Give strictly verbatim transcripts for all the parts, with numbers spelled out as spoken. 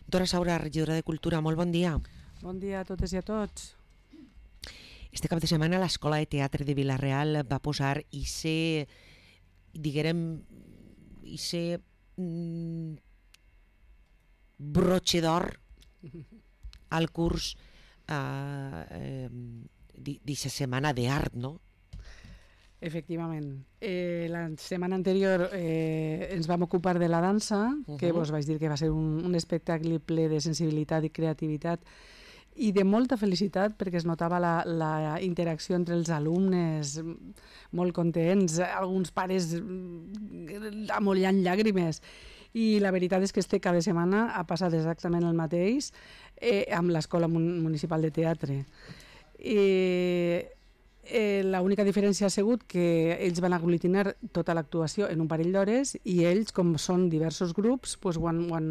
Dora Saura, regidora de Cultura, molt bon dia. Bon dia a totes i a tots. Este cap de setmana l'Escola de Teatre de Vila-real va posar i ser, diguem, i ser mm, broche d'or al curs eh, eh, d'aquesta setmana d'art, no? Efectivament. Eh, la setmana anterior eh, ens vam ocupar de la dansa, uh-huh. que vos vaig dir que va ser un, un espectacle ple de sensibilitat i creativitat i de molta felicitat, perquè es notava la, la interacció entre els alumnes, molt contents, alguns pares amollant llàgrimes. I la veritat és que este cada setmana ha passat exactament el mateix eh, amb l'Escola Municipal de Teatre. Eh, eh, L'única diferència ha sigut que ells van aglutinar tota l'actuació en un parell d'hores i ells, com són diversos grups, pues, ho, han, ho, han,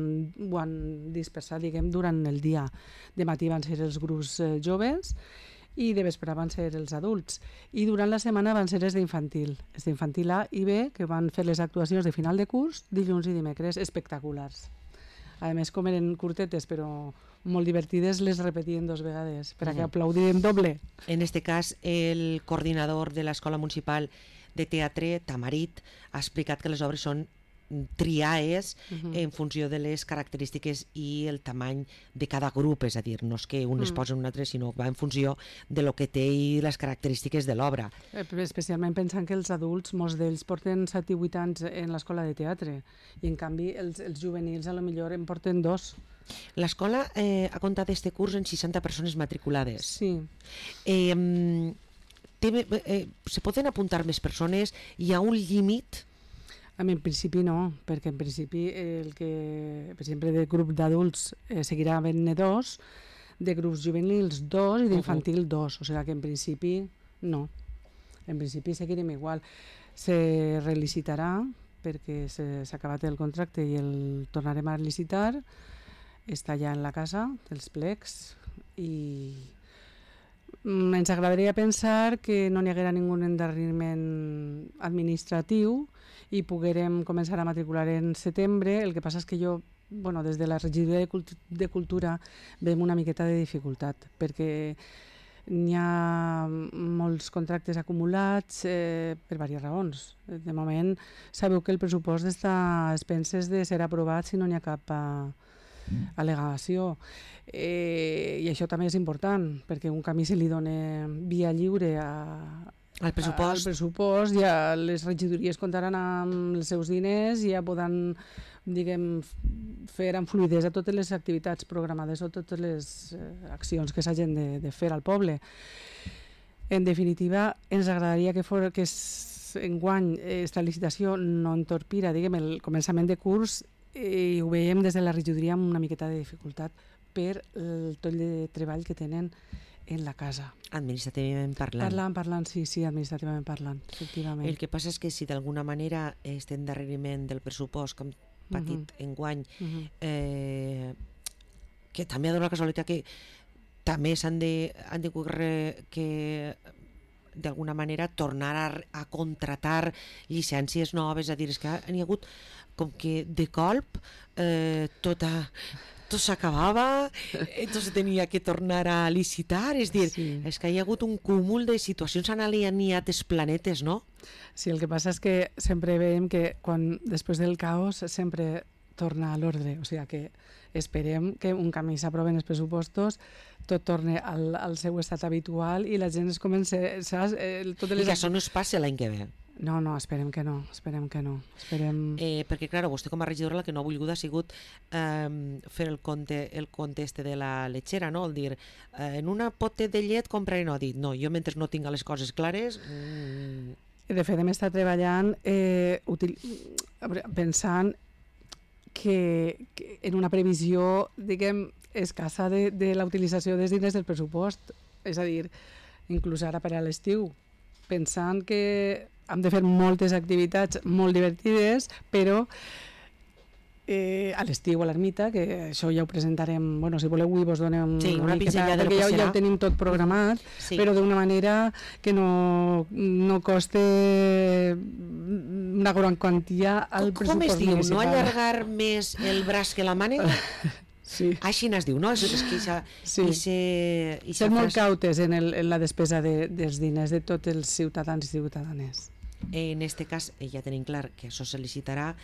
ho han dispersat, diguem, durant el dia. De matí van ser els grups eh, joves i de vespre van ser els adults. I durant la setmana van ser els d'infantil, els d'infantil A i B, que van fer les actuacions de final de curs dilluns i dimecres, espectaculars. A més, com eren curtetes, però molt divertides, les repetien dos vegades, per a que aplaudirem doble. En este cas, el coordinador de l'Escola Municipal de Teatre, Tamarit, ha explicat que les obres són triades uh-huh. en funció de les característiques i el tamany de cada grup, és a dir, no és que un es posa en un altre, sinó que va en funció de lo que té i les característiques de l'obra. Especialment pensant que els adults, molts d'ells porten set i vuit anys en l'escola de teatre i en canvi els, els juvenils a lo millor en porten dos. L'escola eh, ha comptat este curs en seixanta persones matriculades. Sí. Eh, té, eh, se poden apuntar més persones? Hi ha un límit? En principi no, perquè en principi el que, per exemple, de grup d'adults eh, seguirà havent-ne dos, de grups juvenils dos i d'infantil dos, o sigui que en principi no, en principi seguirem igual. Se relicitarà perquè s'ha acabat el contracte i el tornarem a licitar, està ja en la casa dels plecs i ens agradaria pensar que no n'hi haguera ningú endarreriment administratiu i poguérem començar a matricular en setembre. El que passa és que jo, bueno, des de la regidoria de, Cult de Cultura veiem una miqueta de dificultat, perquè n'hi ha molts contractes acumulats eh, per diverses raons. De moment, sabeu que el pressupost està a expenses de ser aprovat si no n'hi ha cap eh, al·legació. Eh, I això també és important, perquè un camí se li dona via lliure a al pressupost. al pressupost, ja les regidories comptaran amb els seus diners i ja poden, diguem, fer amb fluïdesa totes les activitats programades o totes les eh, accions que s'hagin de, de fer al poble. En definitiva, ens agradaria que, for, que enguany esta licitació no entorpira, diguem, el començament de curs i ho veiem des de la regidoria amb una miqueta de dificultat per el toll de treball que tenen en la casa. Administrativament parlant. Parlant, parlant, sí, sí, administrativament parlant, efectivament. El que passa és que si d'alguna manera este endarreriment del pressupost que hem patit uh-huh. enguany, uh-huh. eh, que també ha donat la casualitat que també s'han de, han de que d'alguna manera tornar a, a contratar llicències noves, a dir, és que n'hi ha hagut com que de colp eh, tota... tot s'acabava, entonces tenia que tornar a licitar, és dir, sí. és que hi ha hagut un cúmul de situacions han alineat els planetes, no? Sí, el que passa és que sempre veiem que quan després del caos sempre torna a l'ordre, o sigui que esperem que un camí s'aproven els pressupostos, tot torni al, al seu estat habitual i la gent es comença... Saps? Eh, totes les... I que això no es passi l'any que ve. No, no, esperem que no, esperem que no. Esperem... Eh, perquè, clar, vostè com a regidora la que no ha volgut ha sigut eh, fer el compte, el compte este de la lechera, no? El dir, eh, en una pote de llet compraré, no, ha dit, no, jo mentre no tinc les coses clares... Mm... De fet, hem estat treballant eh, util... pensant que, que en una previsió, diguem, escassa de, de la utilització dels diners del pressupost, és a dir, inclús ara per a l'estiu, pensant que hem de fer moltes activitats molt divertides, però eh, a l'estiu a l'ermita, que això ja ho presentarem, bueno, si voleu avui vos donem sí, una pinzellada, perquè ja, ja ho tenim tot programat, sí. però d'una manera que no, no coste una gran quantia al com, pressupost com es diu? municipal. No allargar més el braç que la mànega? Sí. Així n'es diu, no? És, és que ixa, sí. ixe, ixa ser molt frase... cautes en, el, en la despesa de, dels diners de tots els ciutadans i ciutadanes. En este cas ja tenim clar que això se licitarà,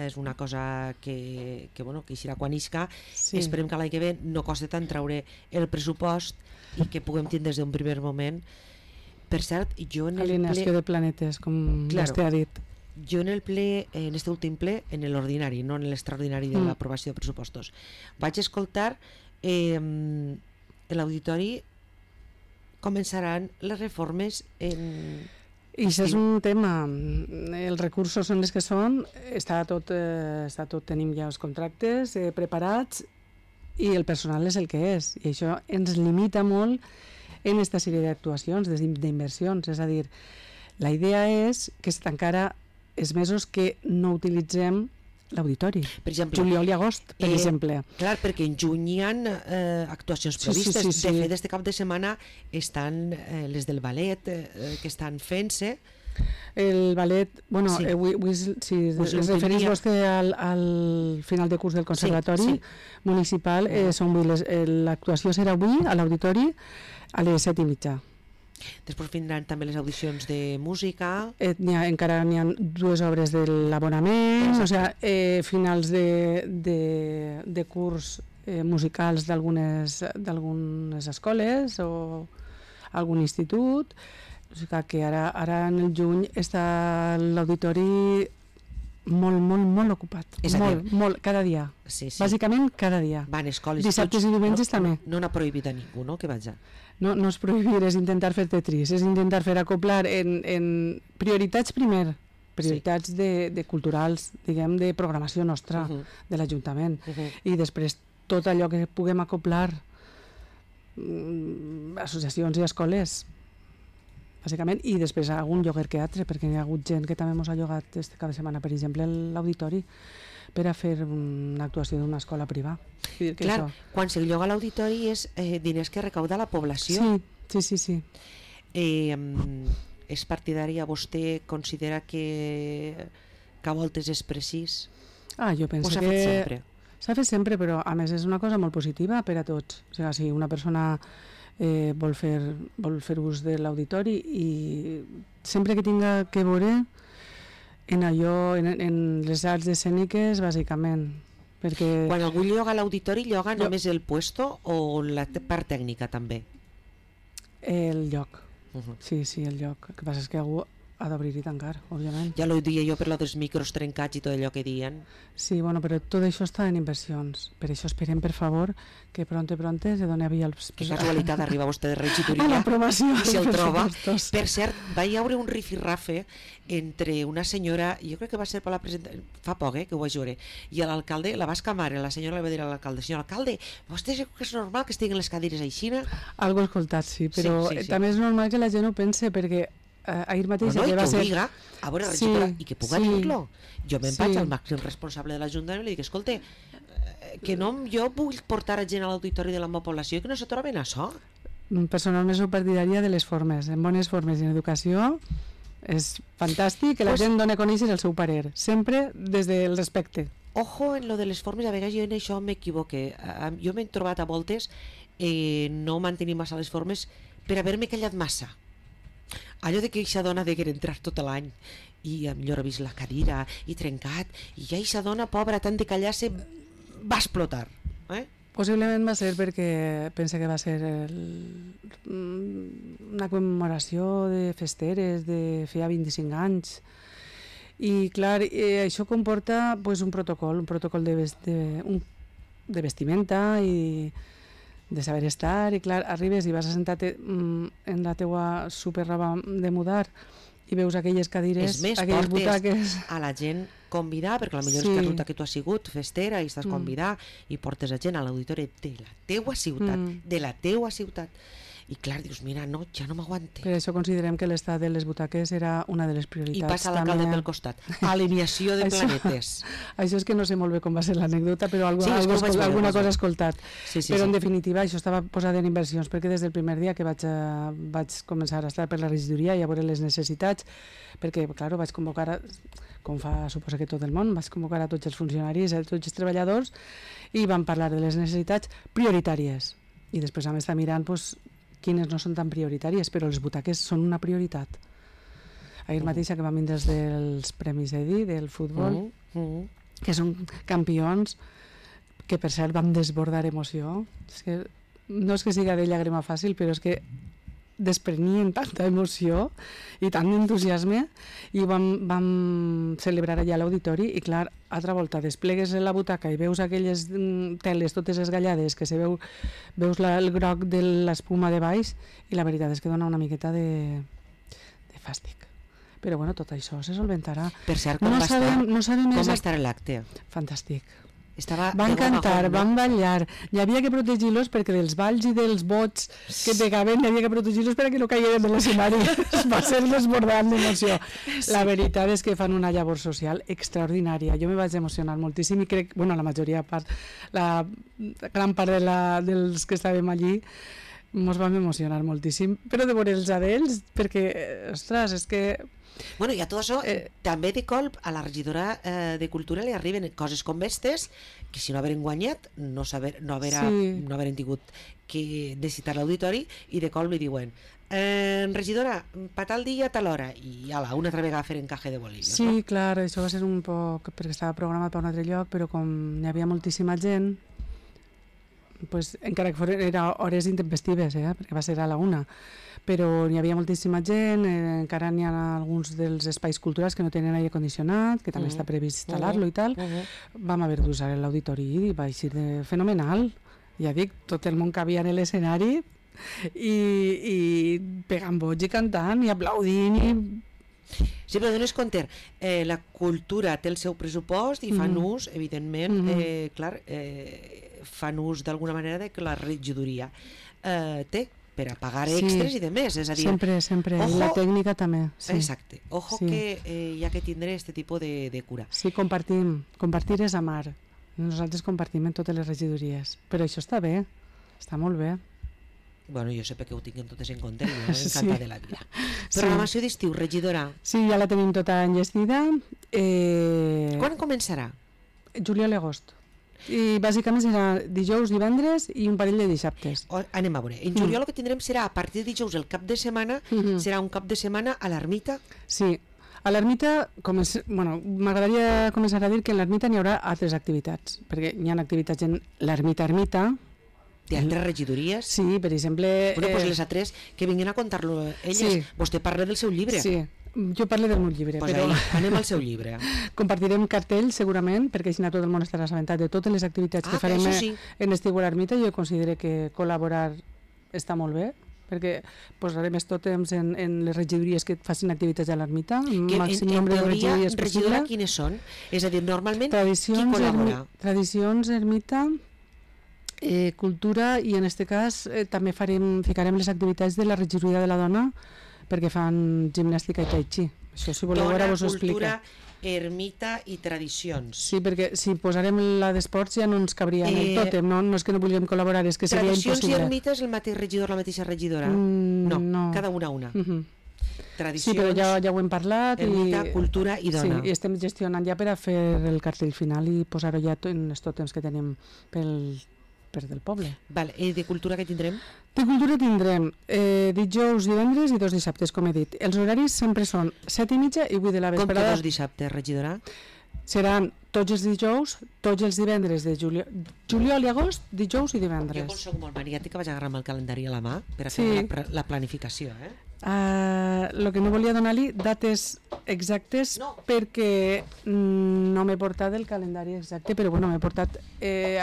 és una cosa que, que, bueno, que eixirà quan isca. Sí. Esperem que l'any que ve no costa tant treure el pressupost i que puguem tindre des d'un primer moment. Per cert, jo en el alineació ple... de planetes, com claro. Vostè ha dit. Jo en el ple, en este últim ple, en l'ordinari, no en l'extraordinari de mm. l'aprovació de pressupostos, vaig escoltar eh, en l'auditori començaran les reformes en... I això és un tema, els recursos són els que són, està tot, eh, està tot tenim ja els contractes eh, preparats i el personal és el que és, i això ens limita molt en aquesta sèrie d'actuacions, d'inversions, és a dir, la idea és que es tancara els mesos que no utilitzem l'auditori, juliol i agost, per eh, exemple. Clar, perquè en juny hi ha eh, actuacions previstes. Sí, sí, sí, sí. De fet, este cap de setmana estan eh, les del ballet eh, que estan fent-se. El ballet, bueno, sí. eh, avui, avui, si es referís vostè al, al final de curs del Conservatori sí, sí. Municipal, eh, eh, l'actuació serà avui a l'auditori a les set i mitja. Després vindran també les audicions de música. Eh, n'hi ha, encara n'hi ha dues obres de l'abonament, o sigui, eh, finals de, de, de curs eh, musicals d'algunes d'algunes escoles o algun institut. O sigui que ara, ara en el juny està l'auditori molt, molt, molt ocupat. És a molt, dir, molt, cada dia. Sí, sí. Bàsicament cada dia. Van escoles dissabtes i diumenges no, també. No n'ha prohibit a ningú, no?, que vaja. No, no és prohibir, és intentar fer tetris, és intentar fer acoplar en, en prioritats primer, prioritats sí. de, de culturals, diguem, de programació nostra, uh -huh. de l'Ajuntament, uh -huh. i després tot allò que puguem acoplar, mm, associacions i escoles, bàsicament, i després algun lloguer que altre, perquè hi ha hagut gent que també ens ha llogat este cap de setmana, per exemple, l'auditori, per a fer una actuació d'una escola privada. Clar, això... quan se lloga l'auditori és eh, diners que recauda la població. Sí, sí, sí. sí. Eh, és partidària, vostè considera que, que a voltes és precís? Ah, jo penso que... s'ha que... fet sempre? S'ha fet sempre, però a més és una cosa molt positiva per a tots. O sigui, si una persona eh, vol, fer, vol fer ús de l'auditori i sempre que tinga que veure en allò, en, en les arts escèniques, bàsicament. Perquè... Quan algú lloga l'auditori, lloga jo... només el puesto o la part tècnica també? El lloc. Uh -huh. Sí, sí, el lloc. El que passa és que algú ha d'obrir i tancar, òbviament. Ja ho dia jo per lo dels micros trencats i tot allò que diuen. Sí, bueno, però tot això està en inversions. Per això esperem, per favor, que pronte, pronte se doni avui els... Que casualitat arriba vostè de regidoria a l'aprovació i se'l troba. Per cert, va hi haure un rifirrafe entre una senyora, jo crec que va ser per la presentació, fa poc, eh, que ho vaig veure, i l'alcalde la va escamar, la senyora li va dir a l'alcalde: senyor alcalde, vostè creu que és normal que estiguin les cadires aixina? Algo escoltat, sí, però sí, sí, sí. també és normal que la gent ho pense, perquè Uh, ahir mateix no, no, que va ser... Diga, a veure, sí, i que puga sí, dir-lo. Jo me'n sí. vaig al màxim responsable de l'Ajuntament i li dic: escolta, que no jo vull portar a gent a l'auditori de la meva població i que no se troben això. Personalment sou partidària de les formes, en bones formes i en educació és fantàstic que la pues, gent doni a conèixer el seu parer, sempre des del respecte. Ojo en lo de les formes, a vegades jo en això m'equivoque. Jo m'he trobat a voltes eh, no mantenir massa les formes per haver-me callat massa. Allò de que eixa dona degué entrar tot l'any i millor ha vist la cadira i trencat, i ja eixa dona pobra tant de callar-se va explotar, eh? Possiblement va ser perquè pensa que va ser el, una commemoració de festeres de feia vint-i-cinc anys, i clar, eh, això comporta pues, un protocol un protocol de, vest, de, un, de vestimenta i de saber estar, i clar, arribes i vas a sentar-te mm, en la teua superroba de mudar i veus aquelles cadires, és més, aquelles butaques... a la gent convidar, perquè potser sí. és que resulta que tu has sigut festera i estàs mm. convidar i portes a gent a l'auditori de la teua ciutat, mm. de la teua ciutat. I clar, dius, mira, no, ja no m'aguante. Per això considerem que l'estat de les butaques era una de les prioritats. I passa l'alcalde pel costat. Alineació de això, planetes. Això és que no sé molt bé com va ser l'anècdota, però algo, sí, algo, escol alguna cosa he escoltat. Sí, sí, però en sí. definitiva això estava posat en inversions, perquè des del primer dia que vaig, a, vaig començar a estar per la regidoria i a veure les necessitats, perquè, clar, vaig convocar, a, com fa suposa que tot el món, vaig convocar a tots els funcionaris, a tots els treballadors, i vam parlar de les necessitats prioritàries. I després vam estar mirant doncs, quines no són tan prioritàries, però les butaques són una prioritat. Ahir mateix que vam vindre dels Premis Edi del futbol, Mm -hmm. que són campions, que per cert vam desbordar emoció. És que, no és que siga de llàgrima fàcil, però és que desprenien tanta emoció i tant d'entusiasme, i vam, vam celebrar allà a l'auditori, i clar, altra volta desplegues la butaca i veus aquelles teles totes esgallades, que se veu, veus la, el groc de l'espuma de baix, i la veritat és que dona una miqueta de, de fàstic. Però bueno, tot això se solventarà. Per cert, com, no va, sabem, estar, no sabem com exact... va estar l'acte? Fantàstic. Estava van cantar, van ballar, hi havia que protegir-los perquè dels balls i dels bots que pegaven hi havia que protegir-los perquè no caigueren de l'escenari. Va ser desbordant d'emoció. Sí. La veritat és que fan una llavor social extraordinària. Jo me vaig emocionar moltíssim i crec, bueno, la majoria part, la gran part de la, dels que estàvem allí ens vam emocionar moltíssim, però de veure els adells, perquè, ostres, és que bueno, i a tot això, eh, també de colp a la regidora eh, de Cultura li arriben coses com aquestes, que si no haveren guanyat no, saber, no, haver, sí. no haveren tingut que necessitar l'auditori, i de colp li diuen eh, regidora, per tal dia a tal hora, i ala, una altra vegada fer encaje de bolillos. Sí, no? clar, això va ser un poc perquè estava programat per un altre lloc, però com hi havia moltíssima gent, pues, encara que foren, era hores intempestives, eh, perquè va ser a la una, però hi havia moltíssima gent, eh, encara n'hi ha alguns dels espais culturals que no tenen aire condicionat, que també uh -huh. està previst instal·lar-lo uh -huh. i tal. Uh -huh. Vam haver d'usar l'auditori i va ser de fenomenal. Ja dic, tot el món cabia en l'escenari i, i pegant boig i cantant i aplaudint i... Sí, però dones compte, eh, la cultura té el seu pressupost i fan mm. ús, evidentment, mm -hmm. eh, clar, eh, fan ús d'alguna manera de que la regidoria eh, té per a pagar extras sí. i de més, és a dir... Sempre, sempre, ojo, la tècnica també. Sí. Exacte, ojo sí. que eh, hi ha que tindre aquest tipus de, de cura. Sí, compartim, compartir és amar. Nosaltres compartim en totes les regidories, però això està bé, està molt bé. Bueno, jo sé perquè ho tinguin totes en compte, jo m'encanta sí. de la vida. Sí. Programació d'estiu, regidora. Sí, ja la tenim tota enllestida. Eh... Quan començarà? Juliol i agost. I bàsicament serà dijous, divendres i un parell de dissabtes. O, anem a veure, en juliol mm. el que tindrem serà a partir de dijous el cap de setmana, mm -hmm. serà un cap de setmana a l'ermita? Sí, a l'ermita, bueno, m'agradaria començar a dir que en l'ermita n'hi haurà altres activitats, perquè hi ha activitats en l'ermita-ermita. Hi ha altres regidories? Sí, per exemple... Bueno, eh... doncs les altres que vinguin a contar-lo elles. Sí. Vostè parla del seu llibre. Sí, jo parlo del meu llibre. Pues però... ahí, anem al seu llibre. Compartirem cartells, segurament, perquè així tot el món estarà assabentat de totes les activitats ah, que farem que sí. en estiu a l'ermita. Jo considero que col·laborar està molt bé, perquè posarem més tòtems en, en les regidories que facin activitats a l'ermita. Que màxim en, en nombre teoria, de regidora, quines són? És a dir, normalment, tradicions, qui col·labora? Ermi, tradicions, ermita... Eh, cultura, i en aquest cas eh, també farem, ficarem les activitats de la regidoria de la dona, perquè fan gimnàstica i tai chi. Això, si voleu, ara vos ho explico. Dona, cultura, ermita i tradicions. Sí, perquè si posarem la d'esports ja no ens cabria en el Eh, tòtem, no? No és que no vulguem col·laborar, és que seria tradicions impossible. i ermita és el mateix regidor, la mateixa regidora? Mm, no, no, cada una una. Uh -huh. Tradicions, sí, però ja, ja ho hem parlat. ermita, i, cultura i dona. Sí, i estem gestionant ja per a fer el cartell final i posar-ho ja en els tòtems que tenim pel per del poble. Vale. I de cultura què tindrem? De cultura tindrem eh, dijous, divendres i dos dissabtes, com he dit. Els horaris sempre són set i mitja i vuit de la vesprada. Com que dos dissabtes, regidora? Seran tots els dijous, tots els divendres de juliol, juliol i agost, dijous i divendres. Jo com soc molt maniàtica vaig agarrar el calendari a la mà per a sí. fer la, la planificació. Eh? El uh, que no volia donar-li dates exactes no. perquè mm, no m'he portat el calendari exacte, però bueno, m'he portat... Eh,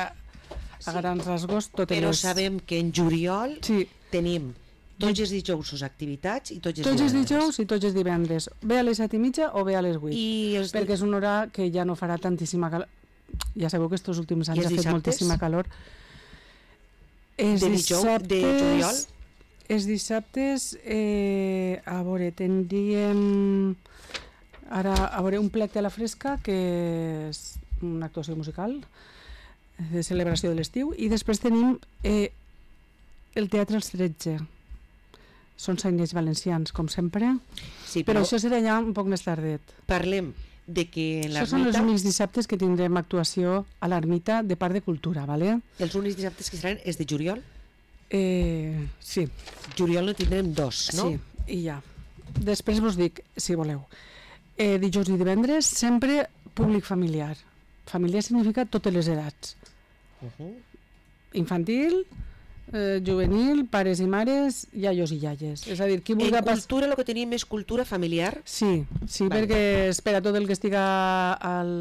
a grans rasgos totes però les... sabem que en juliol sí. tenim tots els dijous activitats i tots els tots divendres. els dijous i tots els divendres, bé a les set i mitja o bé a les vuit, I els... perquè és una hora que ja no farà tantíssima calor. Ja sabeu que estos últims anys ha fet moltíssima calor. Els de dijous, de juliol? Els dissabtes, eh, a veure, tindríem ara a veure un plec de la fresca, que és una actuació musical de celebració de l'estiu, i després tenim eh, el Teatre als tretze. Són sainets valencians, com sempre, sí, però, però això serà ja un poc més tardet. Parlem de que en l'ermita... Això són els únics dissabtes que tindrem actuació a l'ermita de part de cultura, ¿vale? Els únics dissabtes que seran és de juliol? Eh, sí. Juliol no tindrem dos, no? Sí, i ja. Després vos dic, si voleu. Eh, dijous i divendres, sempre públic familiar. Familiar significa totes les edats. Uh-huh. Infantil, eh, juvenil, pares i mares, iaios i iaies. És a dir, qui vulgui... En cultura el que tenim és cultura familiar? Sí, sí, vale. Perquè és per a tot el que estiga al,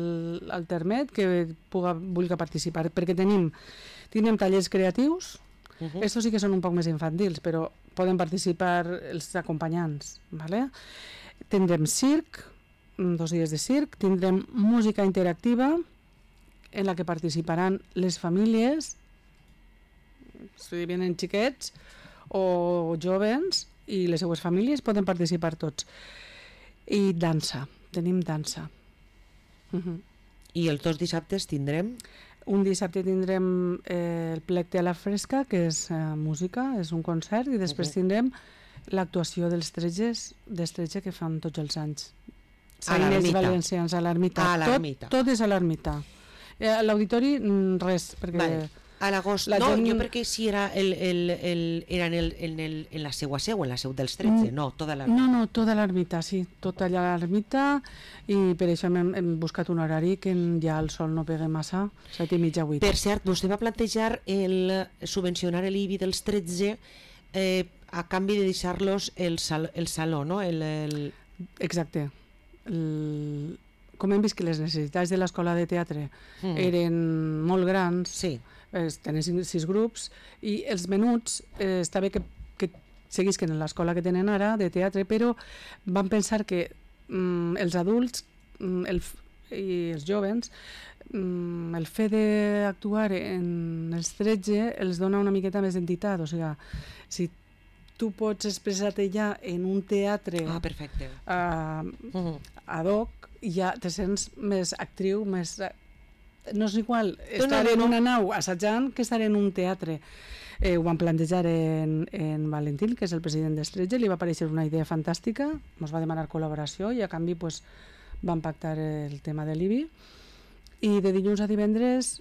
al termet que puga, vulgui participar, perquè tenim, tenim tallers creatius, uh-huh. Estos sí que són un poc més infantils, però poden participar els acompanyants, ¿vale? Tindrem circ, dos dies de circ, tindrem música interactiva, en la que participaran les famílies, si venen xiquets o jovens, i les seues famílies poden participar tots. I dansa, tenim dansa. Uh-huh. I els dos dissabtes tindrem? Un dissabte tindrem eh, el plec de la fresca, que és eh, música, és un concert, i després uh-huh. tindrem l'actuació dels tretges, dels tretge que fan tots els anys. A l'ermita. Valencians, a l'ermita. A l'ermita. Tot, tot és a l'ermita. Eh, a l'auditori, res, perquè... Vale. A l'agost, no, gent... jo perquè si era el, el, el, era en, el, en, el, en la seua seu, en la seu dels tretze, no, tota l'ermita. No, no, tota l'ermita, sí, tota allà a l'ermita, i per això hem, hem buscat un horari que ja el sol no pegue massa, set i mitja, vuit. Per cert, vostè va plantejar el subvencionar l'I B I dels tretze eh, a canvi de deixar-los el, sal, el saló, no? El, el... Exacte. El... Com hem vist que les necessitats de l'escola de teatre mm. eren molt grans, sí. eh, tenen sis grups, i els menuts eh, està bé que, que seguisquen en l'escola que tenen ara de teatre, però van pensar que mm, els adults mm, el, i els jovens mm, el fet d'actuar en els tretze els dona una miqueta més d'entitat, o sigui, si tu pots expressar-te ja en un teatre ah, perfecte. Uh, uh-huh. ad hoc, ja te sents més actriu, més... No és igual estar no, no, no. en una nau assajant que estar en un teatre. Eh, ho van plantejar en, en Valentín, que és el president d'Estretge, li va aparèixer una idea fantàstica, ens va demanar col·laboració i a canvi pues, van pactar el tema de l'I B I. I de dilluns a divendres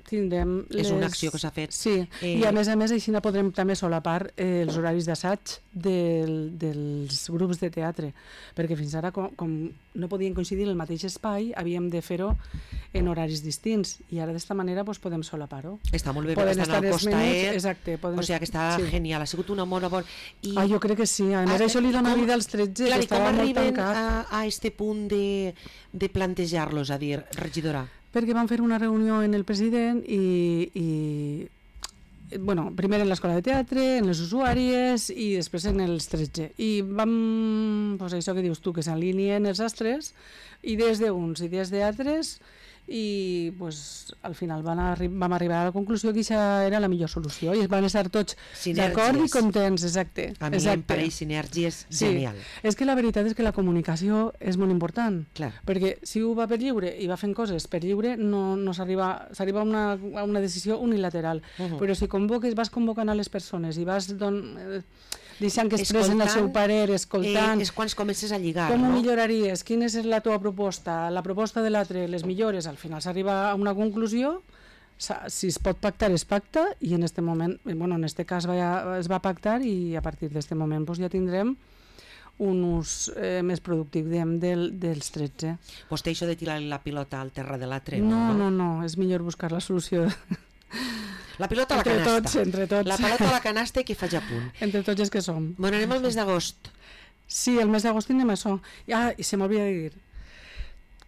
tindrem... Les... És una acció que s'ha fet. Sí, eh... i a més a més així podrem també solapar eh, els horaris d'assaig del, dels grups de teatre, perquè fins ara com, com no podien coincidir en el mateix espai, havíem de fer-ho en horaris distints, i ara d'esta manera pues, podem solapar-ho. Està molt bé, perquè estan al costaet, exacte, o sigui que està sí. genial, ha sigut una molt bona... I... Ah, jo crec que sí, a més ah, això li dona com... vida als tretze, clar, que estava molt tancat. Com arriben a, a este punt de, de plantejar-los, a dir, regidora? Perquè vam fer una reunió en el president i, i bueno, primer en l'escola de teatre, en les usuàries i després en els tretze. I vam, pues això que dius tu, que s'alineen els astres, idees d'uns, idees d'altres, i pues, al final van arri vam arribar a la conclusió que això era la millor solució i es van estar tots d'acord i contents, exacte. A mi exacte. em pareix sinergies sí. genial. És que la veritat és que la comunicació és molt important, clar. Perquè si ho va per lliure i va fent coses per lliure no, no s'arriba a una, a una decisió unilateral, uh -huh. però si convoques, vas convocant a les persones i vas don, eh, deixant que expressen el seu parer, escoltant... Eh, és quan comences a lligar, com no? ho milloraries? Quina és la teva proposta? La proposta de l'altre, les millores? Al final s'arriba a una conclusió, si es pot pactar, es pacta, i en este moment, bueno, en este cas va, es va pactar, i a partir d'este moment pues, ja tindrem un ús eh, més productiu diguem, del, dels tretze. Vostè això de tirar la pilota al terra de l'altre? No, no, no, no, és millor buscar la solució... La pilota a la entre canasta. Tots, entre tots. La pilota a la canasta i que faig a punt. Entre tots els que som. Bueno, anem al mes d'agost. Sí, el mes d'agost tindrem això. Ah, i se m'hauria de dir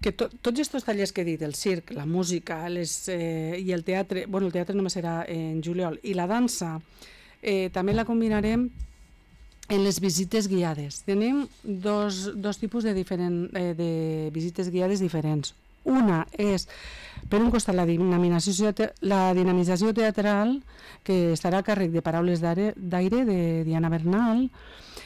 que to, tots aquests tallers que he dit, el circ, la música les, eh, i el teatre, bueno, el teatre només serà en juliol, i la dansa, eh, també la combinarem en les visites guiades. Tenim dos, dos tipus de, diferent, eh, de visites guiades diferents. Una és Per un costat, la dinamització, la dinamització teatral, que estarà a càrrec de Paraules d'aire de Diana Bernal,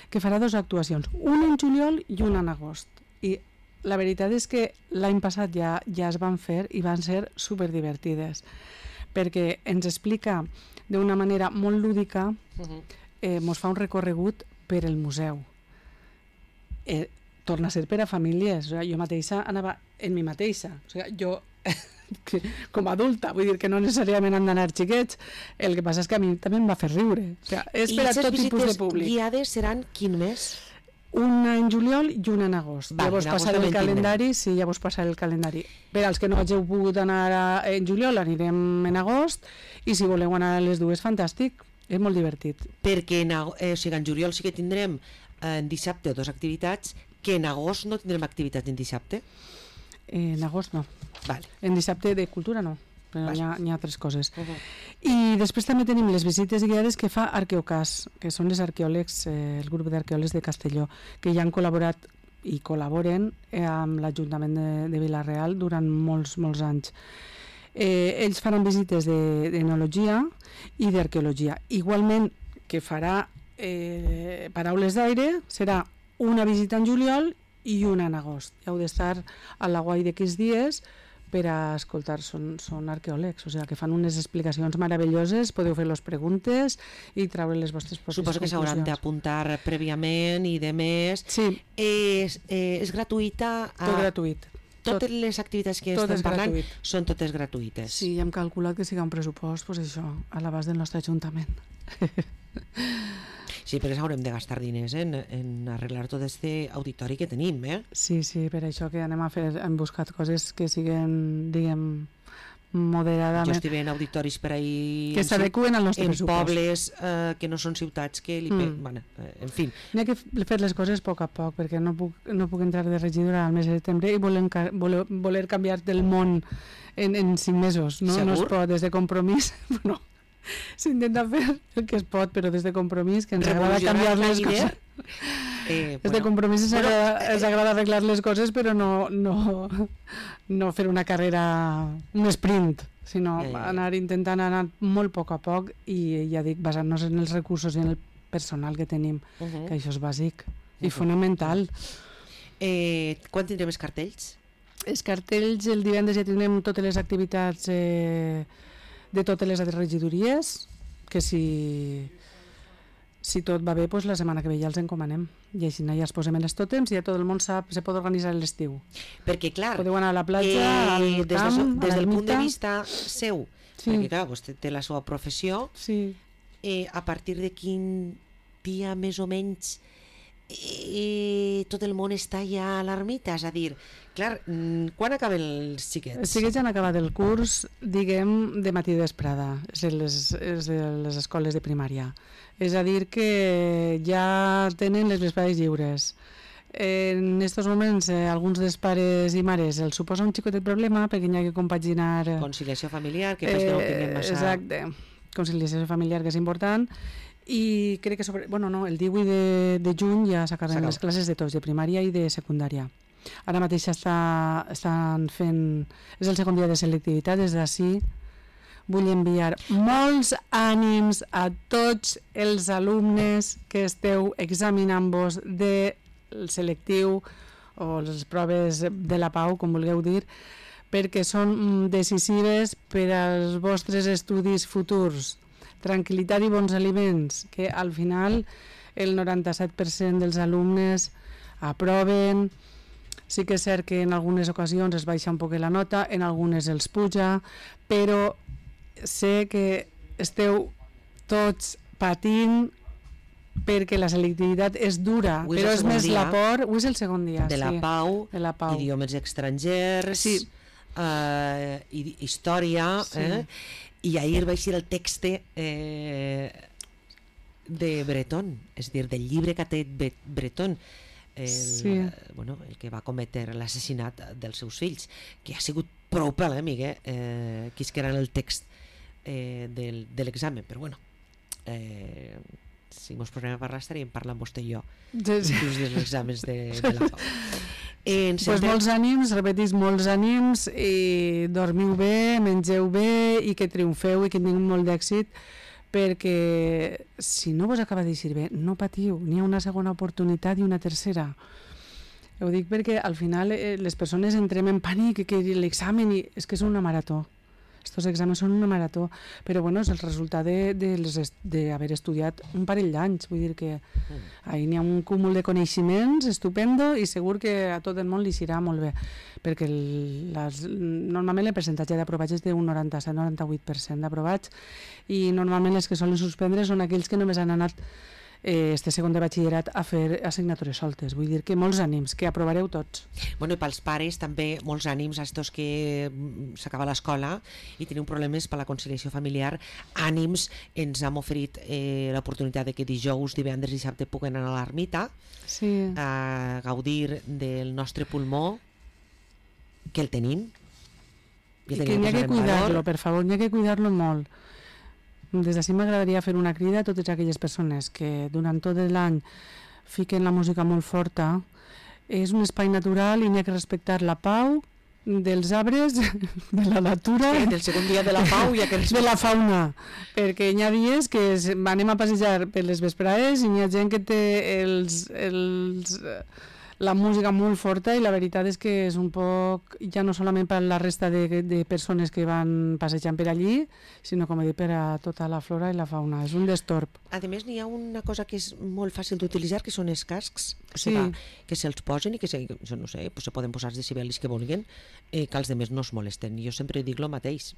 que farà dues actuacions, una en juliol i una en agost. I la veritat és que l'any passat ja, ja es van fer i van ser superdivertides, perquè ens explica d'una manera molt lúdica, uh-huh. eh, ens fa un recorregut per el museu. Eh, torna a ser per a famílies. O sigui, jo mateixa anava en mi mateixa. O sigui, jo, com a adulta, vull dir que no necessàriament han d'anar xiquets, el que passa és que a mi també em va fer riure. O sigui, és per a tot tipus de públic. I les visites guiades seran quin mes? Una en juliol i una en agost. Va, ja vos passaré el calendari, sí, ja vos passaré el calendari. Per als que no hàgiu pogut anar a, en juliol, anirem en agost, i si voleu anar a les dues, fantàstic, és molt divertit. Perquè en, eh, o sigui, en juliol sí que tindrem eh, en dissabte dues activitats, que en agost no tindrem activitats en dissabte? En agost no. Vale. En dissabte de cultura no, però vale. hi, ha, hi ha altres coses. Uh-huh. I després també tenim les visites guiades que fa Arqueocas, que són les arqueòlegs, eh, el grup d'arqueòlegs de Castelló, que ja han col·laborat i col·laboren eh, amb l'Ajuntament de, de Vila-real durant molts, molts anys. Eh, ells faran visites d'enologia i d'arqueologia. Igualment que farà eh, Paraules d'aire, serà una visita en juliol i una en agost. Heu d'estar a la guai d'aquests dies per a escoltar, són, són arqueòlegs, o sigui que fan unes explicacions meravelloses, podeu fer les preguntes i treure les vostres pròpies conclusions. Suposo que s'hauran d'apuntar prèviament i de més. Sí. És, eh, és gratuïta? A... Tot gratuït. Totes tot, les activitats que tot estem parlant gratuït. Són totes gratuïtes. Sí, hem calculat que siga un pressupost, doncs això, a l'abast del nostre Ajuntament. Sí, perquè haurem de gastar diners en, en arreglar tot este auditori que tenim, eh? Sí, sí, per això que anem a fer, hem buscat coses que siguen, diguem, moderadament... Jo estic veient auditoris per ahir... Que s'adequen al nostre en pressupost. En pobles eh, que no són ciutats, que li... Mm. Bueno, eh, en fi. N'hi ha que fer les coses a poc a poc, perquè no puc, no puc entrar de regidora al mes de setembre i voler, voler, voler canviar del món en, en cinc mesos, no? Segur? No es pot, des de compromís, no. S'intenta fer el que es pot, però des de compromís, que ens agrada canviar les coses. Eh, des bueno, de compromís ens, bueno, agrada, ens agrada arreglar les coses, però no, no, no fer una carrera, un sprint, sinó eh, anar intentant anar molt a poc a poc i, ja dic, basant-nos en els recursos i en el personal que tenim, uh -huh. que això és bàsic i uh -huh. fonamental. Eh, quan tindrem els cartells? Els cartells, el divendres ja tindrem totes les activitats eh, de totes les regidories, que si, si tot va bé, doncs la setmana que ve ja els encomanem. I així ja els posem en els tòtems i ja tot el món sap, se pot organitzar l'estiu. Perquè, clar, podeu anar a la platja, eh, al des, camp, de, des del punt de vista. vista seu, sí. Perquè, clar, vostè té la seva professió, sí. eh, a partir de quin dia més o menys eh, tot el món està ja a l'ermita, és a dir, clar, quan acaben els xiquets? Els xiquets han acabat el curs, diguem, de matí vesprada, és de les, és de les escoles de primària. És a dir, que ja tenen les vesprades lliures. En aquests moments, eh, alguns dels pares i mares els suposa un xicotet problema perquè hi ha que compaginar... Conciliació familiar, que eh, no tinguem massa... Exacte, conciliació familiar, que és important, i crec que sobre... Bueno, no, el divuit de, de juny ja s'acaben les classes de tots, de primària i de secundària. Ara mateix està, estan fent... És el segon dia de selectivitat, des d'ací vull enviar molts ànims a tots els alumnes que esteu examinant-vos del selectiu o les proves de la Pau, com vulgueu dir, perquè són decisives per als vostres estudis futurs. Tranquil·litat i bons aliments, que al final el noranta-set per cent dels alumnes aproven. Sí que és cert que en algunes ocasions es baixa un poc la nota, en algunes els puja, però sé que esteu tots patint perquè la selectivitat és dura, és però és més dia, la por. Avui és el segon dia, de, sí, la Pau, de la Pau, idiomes estrangers, sí. eh, i, història, sí. eh? I ahir vaig dir el text eh, de Breton, és a dir, del llibre que ha tret Breton, el, sí. bueno, el que va cometre l'assassinat dels seus fills, que ha sigut prou polèmic, eh, eh, que és que era el text eh, del, de l'examen, però bueno, eh, si mos posem a parlar estaríem parlant vostè i jo, sí, sí. dels exàmens de, de la Pau. Eh, pues molts ànims, repetís, molts ànims, i dormiu bé, mengeu bé i que triomfeu i que tingueu molt d'èxit, perquè si no vos acaba d'eixir bé, no patiu, n'hi ha una segona oportunitat i una tercera. Ho dic perquè al final eh, les persones entrem en pànic, que l'examen, i és que és una marató. Estos exàmens són una marató, però bueno, és el resultat d'haver estudiat un parell d'anys, vull dir que ahí n'hi ha un cúmul de coneixements estupendo i segur que a tot el món li serà molt bé, perquè el, les, normalment el percentatge d'aprovats és d'un noranta-set a noranta-vuit per cent d'aprovats, i normalment els que solen suspendre són aquells que només han anat eh, este segon de batxillerat a fer assignatures soltes. Vull dir que molts ànims, que aprovareu tots. Bueno, i pels pares també molts ànims a estos que s'acaba l'escola i teniu problemes per la conciliació familiar. Ànims, ens hem oferit eh, l'oportunitat de que dijous, divendres i dissabte puguen anar a l'ermita, sí, a gaudir del nostre pulmó, que el tenim. I que n'hi ha que cuidar-lo, per favor, n'hi ha que cuidar-lo molt. Des d'ací m'agradaria fer una crida a totes aquelles persones que durant tot l'any fiquen la música molt forta. És un espai natural i n'hi ha que respectar la pau dels arbres, de la natura, sí, del segon dia de la pau, ja que de la fauna, perquè hi ha dies que anem a passejar per les vesprades i n'hi ha gent que té els, els, la música molt forta, i la veritat és que és un poc, ja no solament per la resta de, de persones que van passejant per allí, sinó, com he dit, per a tota la flora i la fauna. És un destorb. A més, n'hi ha una cosa que és molt fàcil d'utilitzar, que són els cascs, sí, va, que se'ls posen i que se, no sé, pues se poden posar els decibelis que vulguin, eh, que els demés no es molesten. Jo sempre dic el mateix,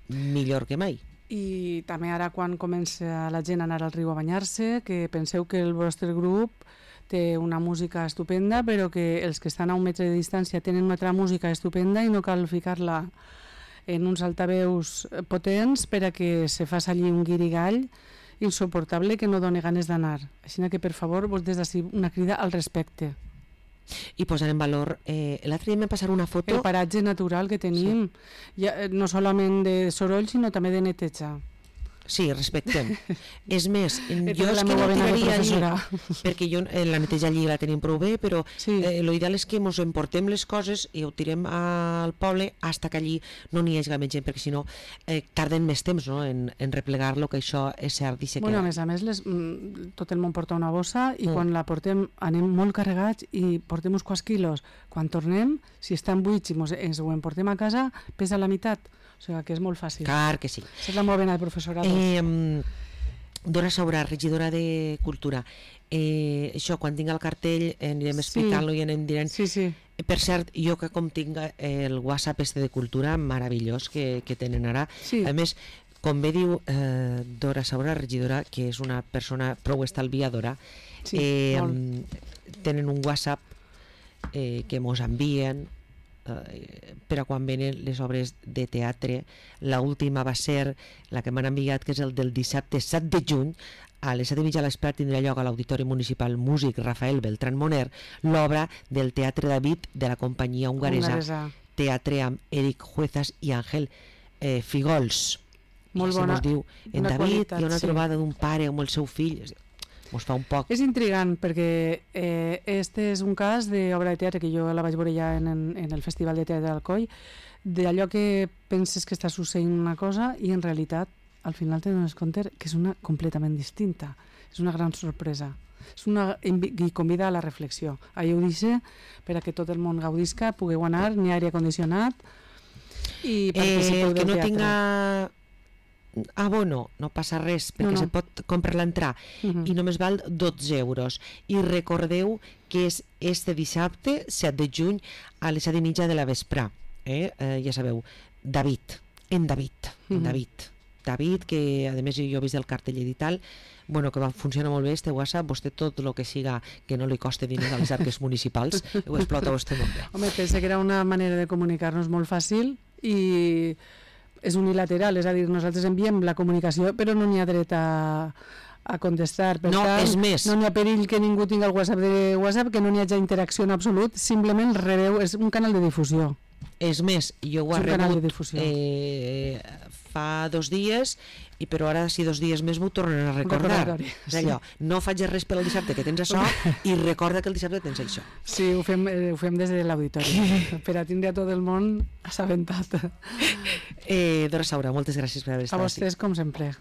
millor que mai. I també ara, quan comença la gent a anar al riu a banyar-se, que penseu que el vostre grup té una música estupenda, però que els que estan a un metre de distància tenen una altra música estupenda i no cal ficar-la en uns altaveus potents per a que se faci allí un guirigall insuportable que no doni ganes d'anar. Així que, per favor, vos des d'ací una crida al respecte. I posar en valor, eh, l'altre dia em va passar una foto... El paratge natural que tenim, sí, ja, no solament de soroll, sinó també de neteja. Sí, respectem. És més, jo és la que no tiraria allí, professora. perquè jo, eh, la neteja allí la tenim prou bé, però sí, eh, l'ideal és que ens emportem les coses i ho tirem al poble hasta que allí no n'hi hagi més gent, perquè si no eh, tarden més temps, no?, en, en replegar-lo, que això és cert. I bueno, que... a més a més, les, tot el món porta una bossa i mm. quan la portem anem molt carregats i portem uns quants quilos. Quan tornem, si estan buits i mos, ens ho emportem a casa, pesa la meitat. O sigui que és molt fàcil. Clar que sí. Això és la molt bona de professorat. Eh, Dora Saurà, regidora de Cultura. Eh, això, quan tinc el cartell eh, anirem explicant-lo, sí, i anem dient. Sí, sí. Per cert, jo que com tinc el WhatsApp este de Cultura, meravellós que, que tenen ara. Sí. A més, com bé diu eh, Dora Saurà, regidora, que és una persona prou estalviadora, sí, eh, tenen un WhatsApp eh, que mos envien eh, per a quan venen les obres de teatre. L'última va ser la que m'han enviat, que és el del dissabte set de juny, a les set i mitja de l'esprat tindrà lloc a l'Auditori Municipal Músic Rafael Beltrán Moner l'obra del Teatre David de la companyia hongaresa, hongaresa. Teatre amb Eric Juezas i Àngel eh, Figols. Molt I bona, diu, en David qualitat, hi ha una sí, trobada d'un pare amb el seu fill. Mos fa un poc... És intrigant perquè eh, este és un cas d'obra de teatre que jo la vaig veure ja en, en el Festival de Teatre d'Alcoi, d'allò que penses que està succeint una cosa i en realitat al final te dones compte que és una completament distinta. És una gran sorpresa. És una, i convida a la reflexió. Ahir ho dice, per a que tot el món gaudisca, pugueu anar, n'hi ha aire condicionat i participeu eh, del teatre. Que no tinga abono, no passa res, perquè no, no. se pot comprar l'entrar, uh-huh, i només val dotze euros. I recordeu que és este dissabte, set de juny, a les set i mitja de la vesprà. Eh? Eh, ja sabeu, David, en David, en uh-huh. David. David, que a més jo he vist el cartell i tal, bueno, que va funcionar molt bé este WhatsApp, vostè tot el que siga que no li coste diners a les arques municipals, ho explota vostè molt bé. Home, pensa que era una manera de comunicar-nos molt fàcil i és unilateral, és a dir, nosaltres enviem la comunicació però no n'hi ha dret a, a contestar. Per no, tant, és més. No n'hi ha perill que ningú tingui el WhatsApp de WhatsApp, que no n'hi hagi interacció en absolut, simplement rebeu, és un canal de difusió. És més, jo ho he rebut eh, fa dos dies, i però ara si dos dies més m'ho tornen a recordar. És allò, no faig res pel dissabte que tens això i recorda que el dissabte tens això. Sí, ho fem, eh, ho fem des de l'auditori, per a tindre a tot el món assabentat. Eh, Dora Saura, moltes gràcies per haver estat a vostès, aquí. com sempre.